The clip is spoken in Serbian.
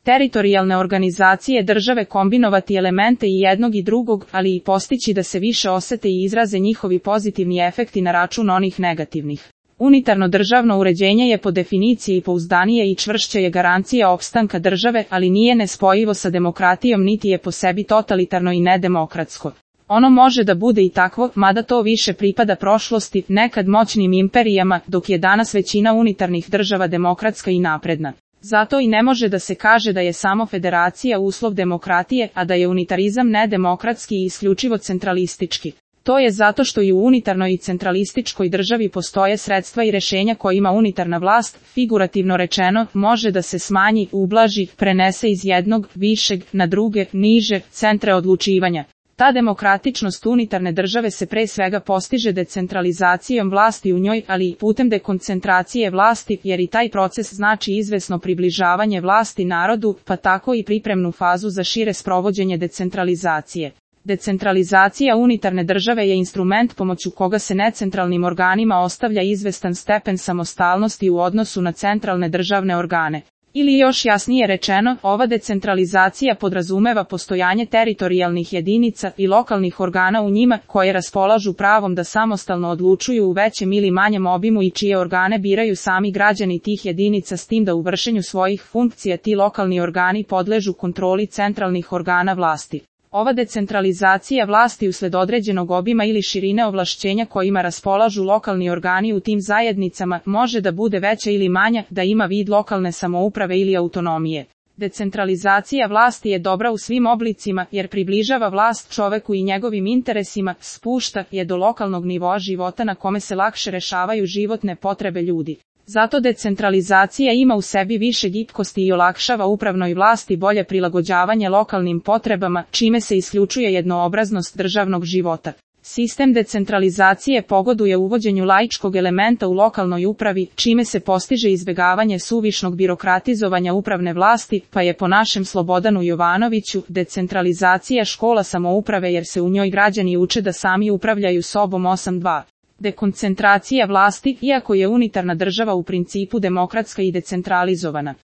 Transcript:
teritorijalne organizacije države kombinovati elemente i jednog i drugog, ali i postići da se više osete i izraze njihovi pozitivni efekti na račun onih negativnih. Unitarno državno uređenje je po definiciji pouzdanije i čvršće je garancija opstanka države, ali nije nespojivo sa demokratijom niti je po sebi totalitarno i nedemokratsko. Ono može da bude i takvo, mada to više pripada prošlosti, nekad moćnim imperijama, dok je danas većina unitarnih država demokratska i napredna. Zato i ne može da se kaže da je samo federacija uslov demokratije, a da je unitarizam nedemokratski i isključivo centralistički. To je zato što i u unitarnoj i centralističkoj državi postoje sredstva i rešenja kojima unitarna vlast, figurativno rečeno, može da se smanji, ublaži, prenese iz jednog, višeg, na druge, niže, centre odlučivanja. Ta demokratičnost unitarne države se pre svega postiže decentralizacijom vlasti u njoj, ali i putem dekoncentracije vlasti, jer i taj proces znači izvesno približavanje vlasti narodu, pa tako i pripremnu fazu za šire sprovođenje decentralizacije. Decentralizacija unitarne države je instrument pomoću koga se necentralnim organima ostavlja izvestan stepen samostalnosti u odnosu na centralne državne organe. Ili još jasnije rečeno, ova decentralizacija podrazumeva postojanje teritorijalnih jedinica i lokalnih organa u njima, koje raspolažu pravom da samostalno odlučuju u većem ili manjem obimu i čije organe biraju sami građani tih jedinica, s tim da u vršenju svojih funkcija ti lokalni organi podležu kontroli centralnih organa vlasti. Ova decentralizacija vlasti usled određenog obima ili širine ovlašćenja kojima raspolažu lokalni organi u tim zajednicama može da bude veća ili manja, da ima vid lokalne samouprave ili autonomije. Decentralizacija vlasti je dobra u svim oblicima jer približava vlast čoveku i njegovim interesima, spušta je do lokalnog nivoa života na kome se lakše rešavaju životne potrebe ljudi. Zato decentralizacija ima u sebi više gibkosti i olakšava upravnoj vlasti bolje prilagođavanje lokalnim potrebama, čime se isključuje jednoobraznost državnog života. Sistem decentralizacije pogoduje uvođenju laičkog elementa u lokalnoj upravi, čime se postiže izbegavanje suvišnog birokratizovanja upravne vlasti, pa je po našem Slobodanu Jovanoviću decentralizacija škola samouprave jer se u njoj građani uče da sami upravljaju sobom 8.2. Dekoncentracija vlasti, iako je unitarna država u principu demokratska i decentralizovana.